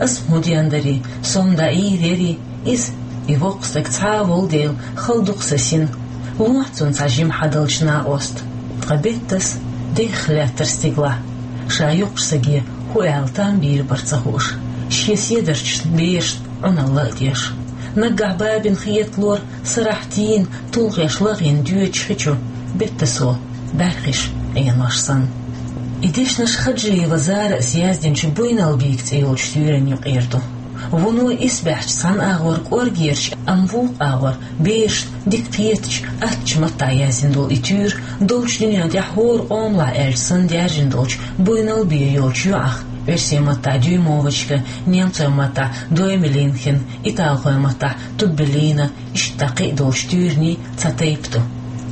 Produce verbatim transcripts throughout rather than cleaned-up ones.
Ас хӀун ден дарий, со-м дӀаийр ярий, иза, и воккха стаг цхьа а волу дела, хала ду-кх сан син, лохьа цунна цхьа жима хьадалча накъост. Ткъа Беттас дехха лаьттара стигалахь, ша йоккхачу стаге хӀун аьлла там бийр бара ца хууш, шен седарчашна, берашна Ӏуналла а деш. Наггахь бабина хеталора сарахь тийна, тулгӀеш лахийна доьдучу хи чу Беттасо бӀаьрхиш Ӏенош санна. И дешнаш Хаджиева Зарас яздинчу «Буйналбик» цӀе йолчу туьйранна юкъера ду. Вуно исбаьхьча цхьана агӀор кӀоргерчу, амма вукху агӀор берашна дика кхетачу, аттачу маттахь яздина долу и туьйра долчу дуьнен тӀехь хӀора къомалахь аьлча санна даьржина долчу «Буйналбе» йолчу йоӀах, оьрсийн маттахь «Дюймовочка», немцойн маттахь «Доймелинхен», италхойн маттахь «Туббелина», иштта кхин а долчу туьйранийн цхьа тайпа ду.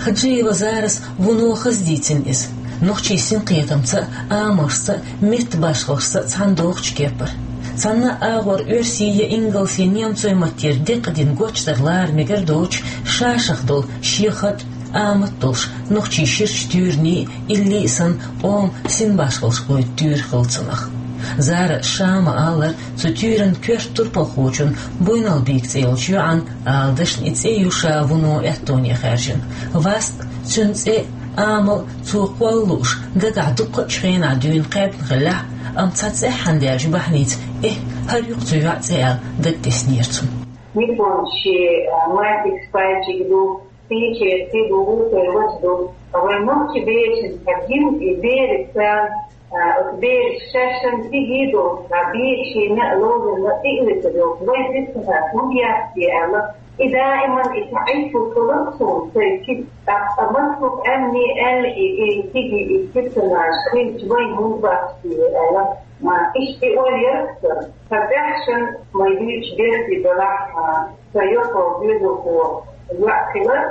Хаджиева Зарас вуно хаза дийцина иза, нохчийн синкхетамца а, амалшца а, меттан башхаллашца а цхьаьна догӀучу кепара. Цхьана а агӀор оьрсийн я ингалсан, немцойн маттера декъадина гочдар лара мегар доцуш, ша-шах долу шен хатӀ, амат долуш, нохчийн ширачу туьйранийн а, илли а санна, къоман синбашхаллаш гойту туьйра хилла цунах. Зарас ша ма-аллара, цу туьйранан коьрта турпалхочун, «Буйналбик» цӀе йолчу йоӀан, ала дашна, и цӀе ю ша вуно аьттоне хаьржина. Васт, цуьнан цӀе а, амал а цо кхолла лууш, дагахь дуккха а хенахь дуьйна кхаьбна хиллехь а, амма цхьа цӀеххьана даьллачу бахьаница, эхь, хӀара ю-кх цу йоӀан цӀе аьлла, дагатеснера цунна. Японцийн, а, мальчик с пальчик ду, пичер, цига вуьйцур вац ду. Вайн нохчийн берашна хьагим и бераш царна, а, оцу бераша шаьшшинна цига йийдо, а, бийца шена а, ловзарна а тӀе а витар йолуш, вайн дицнарг хӀунда яц те аьлла, и даиман и цхьа Ӏитталц хиларх суна, цай цига, тӀаккха массо а къаьмнийн аьлла и, и цига и персонаж хилча, вайн хӀунда бац те аьлла. Ма, иштта и ойла яра-кх сан. Сан тӀаьхьашна вай дуьйцучу берте делахь, а, сан йоккхачу доьзалхо йоӀ хилар,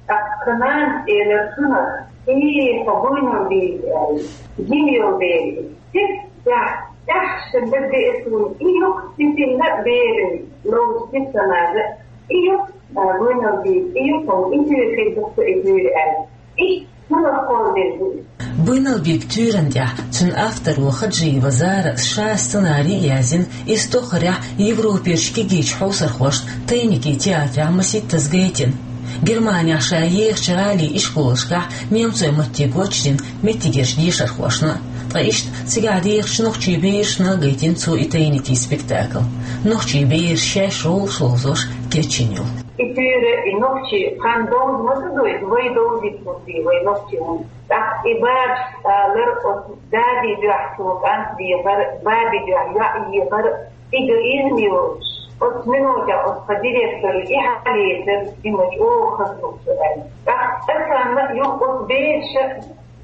тӀаккха нанас элира цунах: «И, хьо Буйналбик», — аьлла. Жима йолу бер иза. Цигахь тӀаьхьашна дагадеара суна, и ю-кх цу синна а, берана ловзу персонажа, и ю-кх, а, Буйналбик, и ю-кх хьуна, и туьйра хир ду-кх сан, и туьйра аьлла. Иштта цунах кхолладелла ду иза. «Буйналбик» туьйранна тӀехь цуьнан авторо Хаджиева Зарас ша сценарий а яздина, иза тохарехь Европерчу кегийчу хьовсархошна «Тайники» театрехь масийттаза гайтина. Германехь ша ехачу гӀалин ишколашкахь немцойн матте гочдина меттигерчу дешархошна а, ткъа иштта цигахь дехачу нохчийн берашна а гайтина цо и «Тайники» спектакль. Нохчийн бераш шаьш гӀуллакхаш ловзош кечйина йолу. И туьйра и нохчийн, кхин довза ма ца дойту, вай довзийта хӀунда, вай нохчийн хӀунда. ТӀаккха и бабас алара, оцу дади дуьхьа цо кӀант дехар, баби дуьхьа йоӀ ехар, эгоизм йоцуш, оцу минотехь оцу тхан директора и хьалаэцар, и ма чӀогӀа хаза ду-кх со аьлла. ТӀаккха цкъа санна а юха оцу бераша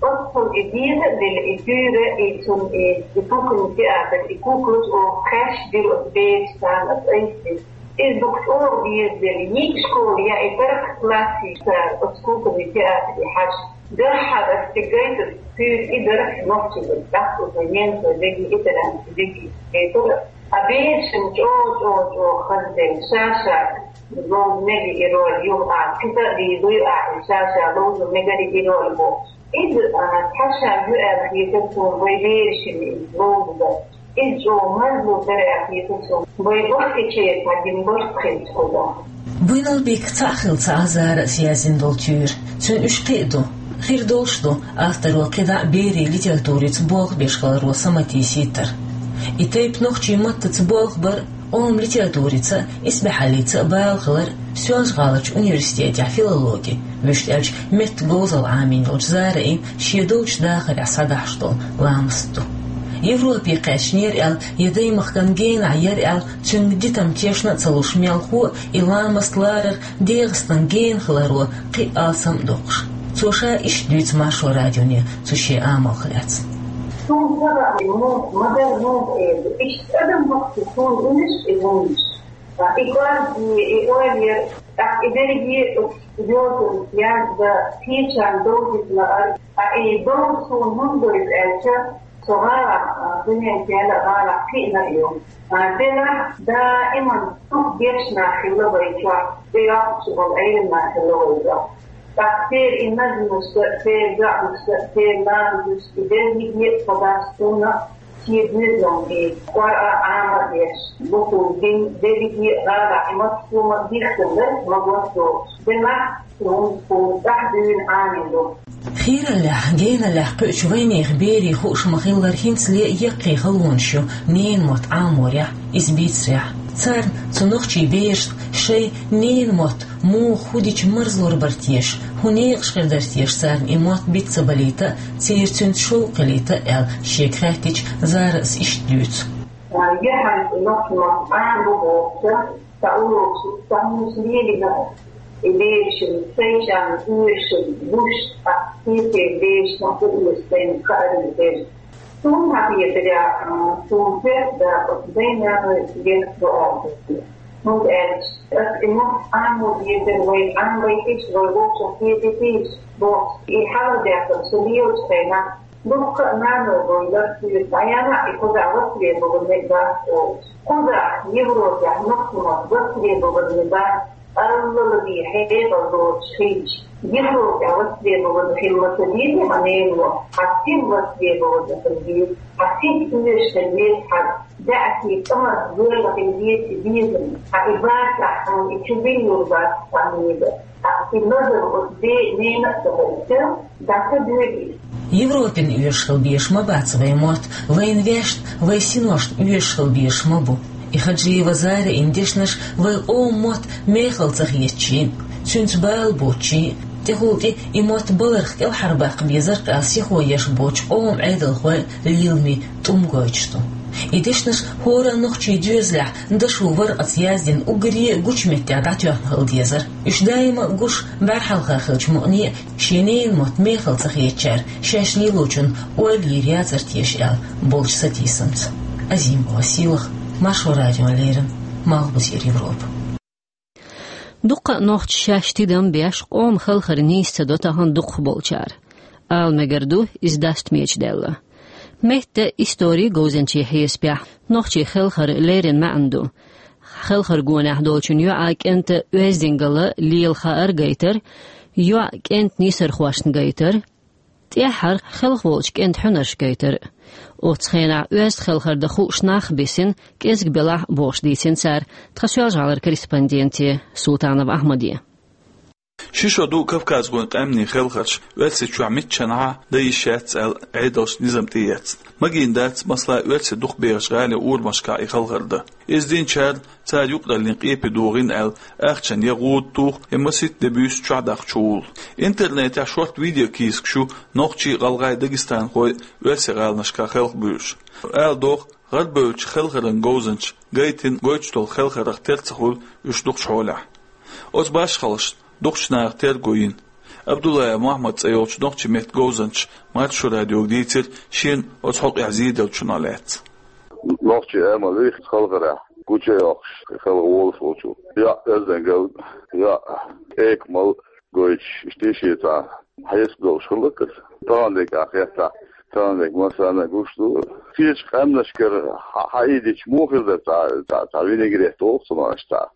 оццул и деза а делла, и туьйра, и цунна и, и куклин театр, и куклаш оха кхаьчна дира оцу бераша, царна аса айса дира. Иза дукха чӀогӀа деза делла, йига школа я и таркхат классий цара оцу куклин театре хьажа. Дуьххьара аса цига гайтар туьйра и дара, нохчийн дара, тӀаккха оцу немцойн деги, итальянцийн деги гайтар. А берашна чӀогӀа, чӀогӀа, чӀогӀа хаза делла, ша-ша ловза мегий и роль, юха а кхин а дийзуй а, и ша-ша ловза мегар и роль бохуш. Иза, а, цхьа шаг ю аьлла хетар суна вай берашна иза ловза дар. Иза чӀогӀа марзло дара аьлла хетар суна. Вай бахкийтинчеран цхьа дина барт хилча кхузахь. «Буйналбик» цхьаъ хилла ца Ӏа Зарас яздина долу туьйра. Цуьнан уьш кхин а ду. Хир долуш ду, авторо кхидӀа а берийн литературица болх беш хиларо саматийсийтар. И тайпа нохчийн маттаца болх бар, къоман литературица а, исбаьхьаллица а бала хилар Соьлжа-ГӀаларчу университетехь филологи, вуьшта аьлча, меттан говзалла Ӏамийна йолчу Зарас шен долчу дахарехь схьадахьаш долу ламаст ду. Европе кхаьчнера аьлла я даймахкан генахь яра аьлла, цуьнга дитам тешна а ца луш мелхо а и ламаст ларар ДегӀастан гена хиларо кхин а алсам а доккхуш. Цо ша иштта дуьйцу Маршо радионе цу шен амалх лаьцна. Суна сагӀа а, муха, ма-дарра муха эр ду, иштта адам бахкахь суна уьш и вуьйш. И кӀорге, и ойла яр, тӀаккха и дерриге а оцу йозанца яздан, кхечарна довзийта лаар, ткъа и довза суна хӀунда доьду аьлча, со гӀалахь, а, дуьнен кхел а гӀалахь кхиъна а ю. А, делахь, даиман дукха гечнах хилла вай чохь, тӀейоккхучу болу Ӏеламнах хилла вай чохь. ТӀаккха церан и назмашца, церан доӀанашца, церан ламазашца, и дерриге а со дац суна, Шен доьзалан бийца, кӀора а Ӏамор деш, бухув дин, дерриге а гӀала и маттахь хӀума дийхкина дара, магоссо, делахь, хӀунда хӀума тӀаьхьа дуьйна Ӏамийна ду. Хийраллехь, геналлехь кхуьучу вайнехан берийн хууш ма-хиллара, хӀинцале а яккхий халонаш ю ненан мотт Ӏаморехь, иза бийцарехь. Царна цу нохчийн берашна шайн ненан мотт муха, хӀун дича марзлур бара теша, хӀун некъаш хир дара теша царна и мотт биц ца балийта а, церан цуьнца шовкъ хилийта а аьлла, шега хаьттича, Зарас иштта дуьйцу. Яхьанца нохчийн мотт Ӏамабо бохуча, сан урокаш, сан хӀуманаш лелийна, и берашна, сайчарна оьшуш, гуш, а, кхечеран берашна а оьшуш сайна хаарина хир. Суна хьан хетарехь, а, суна хетарехь, оцу дайн-наной герга ду аьлла. ХӀунда аьлча ас и мотт Ӏамо дезара, вай Ӏамабайтийша, вай вовшах кхетийтийша бохуш, и хьалхадеана со лелачу хенахь, дуккха а наной вай лар суьйра дӀаяьхьна, и кхузахь востребованный дац олуш. Кхузахь, Европехь, нохчийн мотт востребованный дац, аллал бен хьекъал доцуш хилча, Европехь востребованный хила ма ца дезий хьан ненан мотт, хьан сиха востребованный хила деза, хьан сиха оьшуш хила деза, хьан даьӀахкий, тӀамарх гоьлла хила деза и безам, хьан и бацахь, хьуна и чу билур бац хьан мега. Европин оьшуш хила безаш ма бац вайн мотт, вайна вешна, вайн синошна оьшуш хила безаш ма бу. И Хаджиева Зарин дешнаш вайн къоман мотт мехала ца хетачийн, цуьнца бала боцучийн, тӀехула тӀе и мотт баларх кӀелхьарбаккха безарх аьлла сихо еш боцчу къоман Ӏедалхойн лиламийн тӀум гойтуш ду. И дешнаш хӀора а нохчийн доьзалехь дашо варкъаца яздина уггаре а гучу меттехь дӀатоьхна хила дезара. Уьш даима а гуш, бӀаьрхьалха хиллачу мукъане а шен ненан мотт мехала ца хетачара шаьш лелочунна ойла йийр яцара теша аьлла болчу сатийсамца. Азимова Сийлаха, Маршо радиона леррина, Малхбузера Европа. Дуккха а нохчий шаьш тидам беш, къоман хелхар нийса ца до тахана дукхахболчара. Ала мегар ду, иза дастамечу даьлла. Меттан историн говзанчийн хьесапехь, нохчийн хелхаран леррина маьӀна ду: хелхаргонехь долчун йоӀан, кӀентан оьздангалла, лела хаар гайтар, йоӀ кӀентан нийсархошна гайтар, тӀаьххьара хелхаволчу кӀентан хьуьнарш гайтар. Оцу хенахь оьзда хелхар дан хууш нах а бисина, кӀезиг белахь а бохуш дийцина цара тхан Соьлжа-ГӀалара корреспонденте Султанов Ахьмаде. Ши шо ду кавказхойн къаьмнийн хелхарш Оьрсийчохь миччанхьа а дан йиш яц аьлла, Ӏедалша низам тӀеэцна. Магийна дац, масала, Оьрсийн дукхахберачу гӀалин урамашкахь и хелхар дан. Иза динчара цара юкъараллин къепе дохийна аьлла, ахчанна я гӀуда туху, я масийтта де буьйсу чохь даккхачу гӀула. Интернетехь шортта видеокийсакаш ю нохчий а, гӀалгӀай а, дагестанхой а оьрсийн гӀаланашкахь хелхабуьйлуш. Ала догӀу, гӀарабевллачу хелхаран говзанчаша гайтина гойтуш долу хелхарх тера ца хуьлу уьш дукхачу хьолехь. Оцу башхаллашна дукхачу наха терго йина. Абдуллаев Мохьмад цӀе йолчу нохчийн меттан говзанчаша Маршо радиога дийцира шена оцу хьокъехь зеделлачунах лаьцна. Нохчийн амал ю хелхарехь гучу а йоккхуш, хелха волуш волчо. ЙоӀ оьздангалла, йоӀ экамалла гойтуш, иштта шен цхьа хьесап долуш хилла-кх иза. Тахана дерг а хеттахь, тахана дерг массарна а гуш ду. Кхечу къаьмнашкара хьа-, хьаийдича муха хир дара цхьа, цхьа, цхьа винегрет боху цунах аьлча цхьа.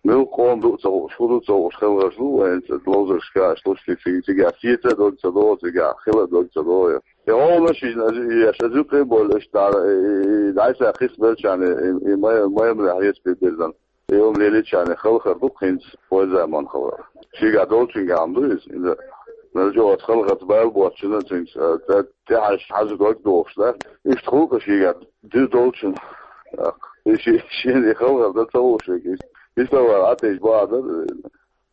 Муьлхха къоман ду а ца хууш, хӀун ду а ца хууш, хелхарш ду вайн цӀа ловзаршкахь, аша луш цигахь сеца а дог ца догӀу, цигахь хила а дог ца догӀу. И гӀовгӀанаш йина, аш, аш юкъе а бовлуш, дӀа-, и, и, и дӀасакхиссабеллачарна, и, и май-, майманехь хьесапе бирзина. И хӀума лелийчарна хелхар ду-кх хӀинца, вайн заманан хелхар. Шегахь долчуьнгахь ма ду иза. Иза, нажо оцу хелхарца бала боцучунна цуьнца, а, тӀе-, тӀехьаьжча хьажа дог дохуш дац. Иштта хуьлу-кх шегахь ду долчунна. ТӀаккха и ши-, шена и хелхар дан ца хууш верг. Иштта вара Ӏатайча бахьа дара.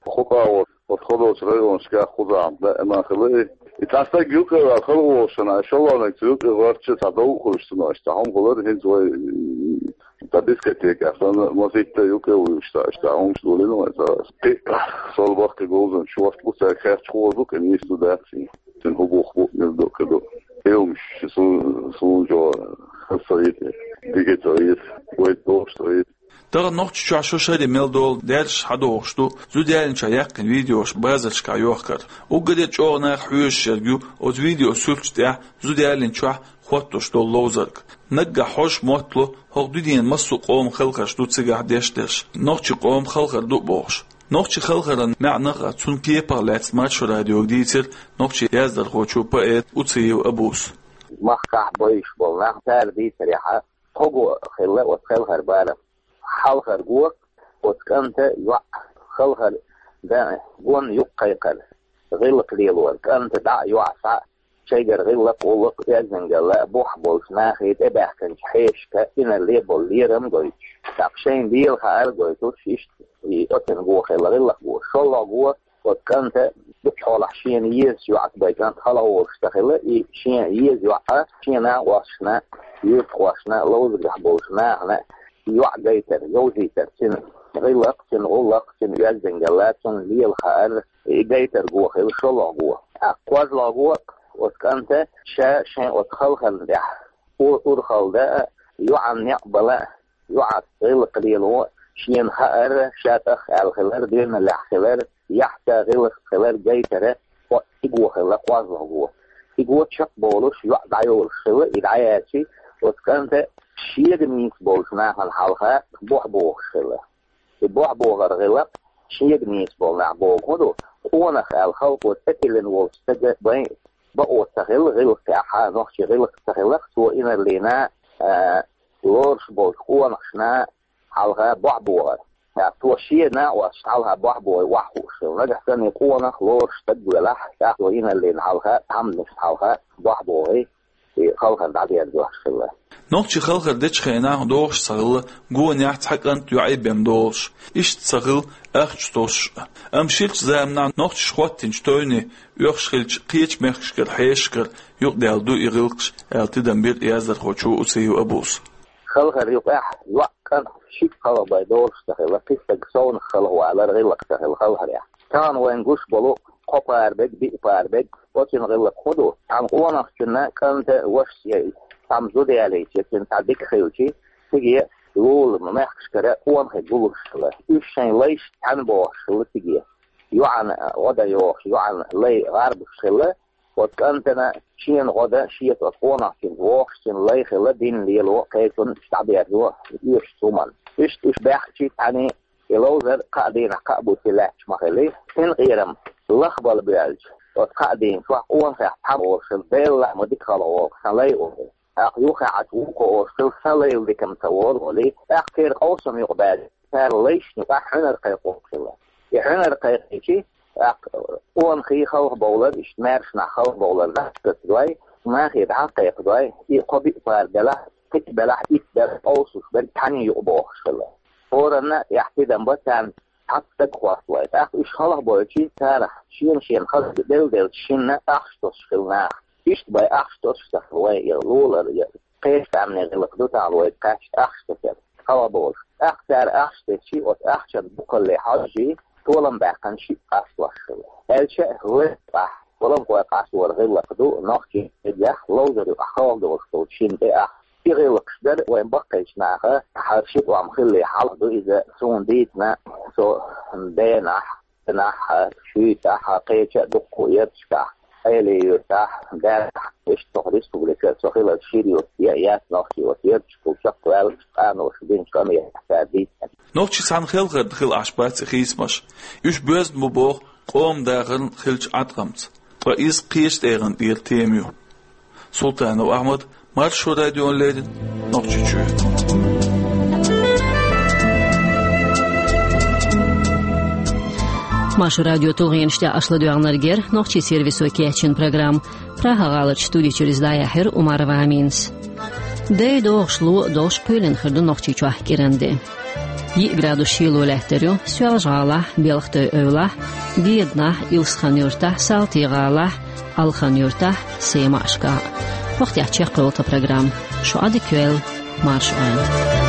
Кху къагӀо, оцу хӀо долчу районашкахь кхузахь даима хилла и. И цхьа стаг юкъе ваьлла хала волуш санна, шолгӀаниг цу юкъе гӀоьртча, цхьа дов а хуьлуш санна, аша цхьа хӀума хилар, хӀинца вай, м, цхьа дискотека санна, масийтта юкъе вуьйш, аша цхьа хӀумаш долийна вай цара. Кхин а сол баккхий говзанчаш шортта бу, цаьрга хаьттича хуур ду-кх, и нийса ду, дац и. Цуьнан хӀун бух бу, мила ду, кхин ду. И хӀумаш суна, суна чӀогӀа хаза ца хета, дика ца хета, вайга догӀуш ца хета. Тахана Нохчийчохь шо шаре мел долу даьржаш хьадогӀуш ду зуда ялийначохь яьккхина видеош базаршкахь йохкар. Уггаре а чӀогӀа наха хьоьжуш ерг ю оцу видео суьрташ тӀехь зуда ялийначохь хоттуш долу ловзарг. Наггахь хьожуш мотт ло, хӀокху дуьненан массо а къоман хелхарш ду цигахь дешдерш, нохчийн къоман хелхар ду а бохуш. Нохчийн хелхаран маьӀнах а, цуьнан кепах а лаьцна Маршо радиога дийцира нохчийн яздархочо, поэто Уциев Абуса. махкахь бевзаш болу нах, цара дийцарехь, кхо го хилла оцу Халхара барам. Хьалхара го, оцу кӀанта йоӀ Халхара дан гонна юккъе кхайкхар, гӀиллакх лелор, кӀанта дӀа а, йоӀ схьа а, шайгара гӀиллакх, гӀуллакх, оьздангалла а, бохь болчу нахе тӀебаьхкинчу хьешашка инарле болу лерам а гойтуш, тӀаккха шайна Дела хаар а гойтуш, иштта и оццуьнан го хилла, гӀиллакх го. ШолгӀа го, оцу кӀанта дукха хьолахь шена езачу йоӀах бен кӀант хала гӀолуш ца хилла, и шен еза йоӀ шен накъосташна, юьртахошна, ловзарехь болчу нахана йоӀ гайтар, йовзийтар, цуьнан гӀиллакх, цуьнан гӀуллакх, цуьнан оьздангалла, цунна лела хаар, и гайтар го хилла шолгӀа го. ТӀаккха кхозлагӀа го, оцу кӀанта ша шайн оцу Халхарна тӀехь у-, урхалла дан а, йоӀана некъ бала а, йоӀах гӀиллакх лело, шена хаар, ша тӀах аьлла хилар, доьналлехь хилар, яхьца гӀиллакх хилар гайтар, кхо-, и го хилла кхозлагӀа го. И го чекхболуш йоӀ дӀайолуш хилла, и дӀаяьлча, оцу кӀанта шега нийса болчу нахана хьалха бохь бохуш хилла. И бохь бохар гӀиллакх шега нийса болу нах боху хӀун ду? Къонах аьлла халкъо тӀетиллина волчу стага бен бакъо ца хилла гӀиллакх, тӀаьхьа нохчийн гӀиллакх ца хилла, цо инарлина, а, лоруш болчу къонахашна хьалха бохь бохар. ТӀаккха цо шен накъосташна хьалха бохь бохий охьахууш хилла. Нагахь санна и къонах лоруш стаг велахь, тӀаккха цо инарлина хьалха, тхьамданашна хьалха бохь бохий, и Халхар дӀадерзош хилла. Нохчий Халхар дечу хенахь догӀуш ца хилла, гонехь цхьа кӀант, йоӀ бен долуш, иштта ца хилла ахча тосуш а. Амма ширачу заманахь нохчаша хӀоттийначу тойне оьхуш хиллачу кхечу мехкашкара хьешашкара юкъадаьлла ду и гӀиллакхаш, аьлла тидам бира яздархочо Уциев Абуса. Халхар юкъахь йоӀ, кӀант шиъ хала бен долуш ца хилла, кхин стаг совнаха хала валар гӀиллакх ца хилла Халхарехь. Тахана вайна гуш болу кхо пара берг, биъ пара берг, оццуьнан гӀиллакх хӀун ду? Цхьана къонахчунна кӀанта вашас я, цхьамма зуда ялийча, цуьнан цхьа дика хилча, цига лула мехкашкара къонахий гуллуш хилла. Уьш шайн лайшца цхьаьна бохуш хилла цига. ЙоӀана гӀо дан йохуш, йоӀана лай гӀарбуш хилла, оцу кӀантана шена гӀо дан, шеца оцу къонахчуьнца вогӀуш, цуьнан лай хилла, дин лело, кхечунна дӀаберзо оьшуш хӀуманна. Иштта уьш баьхкича цхьаьний, и ловзар кхаа дийнахь кхаа буьйса лаьтташ ма хиллий. Синкъерам лахбала боьлча, оцу кхаа дийна чохь къонахех цхьамма олуш хилла, Делан лаамехь дика хала гӀолахь сан лай олий. ТӀаккха юххехь Ӏачу вукхо олуш хилла, сан лайла дика-м ца волу олий. ТӀаккха церан къовсам юкъабаьлча, цара лайшна юкъахь хьуьнар кхайкхо хилла. И хьуьнар кхайкхийча, тӀаккха къонахий халхабовлар, иштта маьрша нах халхабовлар дӀасакхетадой, нахе дӀакхайкхадой, и кхо-биъ пара белахь, кхин белахь, итт белахь къовсуш берг цхьаьний юкъабохуш хилла. ХӀоранна тӀехь тидам бан царна цхьацца стаг хӀотталой. ТӀаккха уьш халхабойтуш, царах шена-шена хаза делла-делча шинна ахча тосуш хилла наха. Иштта бен ахча тосуш ца хилла вайн и лулара, я кхечу къаьмнийн гӀиллакх ду тахана вайга кхаьчна ахча тосар, халхабовлуш. ТӀаккха цара ахча тесча, оцу ахчан бухкале хьожжий, толам баьккхина шиъ къасталуш хилла. Аьлча а, вайн юкъахь, гӀуламхой къастор гӀиллакх ду, нохчийн меттигехь ловзар юкъахь халхадолуш долчу шинна тӀе ахча. И гӀиллакхаш дара вайн баккхийчу наха, хӀара ши тӀом хиллий хьалха ду иза, суна дийцина, со денахь, нахь, шуьйтахь, кхеча а дуккха ярташкахь, Ӏелин-Юьртахь, Даьллахь, иштта тхо республикера со хиларх шира юрт я, яц нохчий оцу ярташкахула чекхваьлла, къаноша динчу къамелехь цара дийцина. Нохчий цхьаьна хелхарна хила Ӏаш бац и хийцамаш. Уьш боьзна бу боху къоман дахарна хиллачу Ӏаткъамца. Ткъа иза кхечу тӀегӀан тӀера тема ю. Султанов Ахьмад, Маршо радиона леррина, Нохчийчоь. Маршо радион тулгӀенаш тӀехь аша ладоьгӀнарг яра нохчийн сервисо кечйина программа. Прага-гӀаларчу студи чуьра иза дӀаяьхьира Умарова Аминас. Дай догӀуш ло а долуш, пуьйлина хир ду Нохчийчохь кӀиран де. Йиъ градус шело лаьттар ю Соьлжа-ГӀалахь, Белхатуй-Эвлахь, Деданахь, Илсхан-Юьртахь, Салти-ГӀалахь, Алхан-Юьртахь, Семашкахь. ХӀокху тӀехь чекхйолу тхан программа. Шу Ӏадика йойла, марша Ӏойла.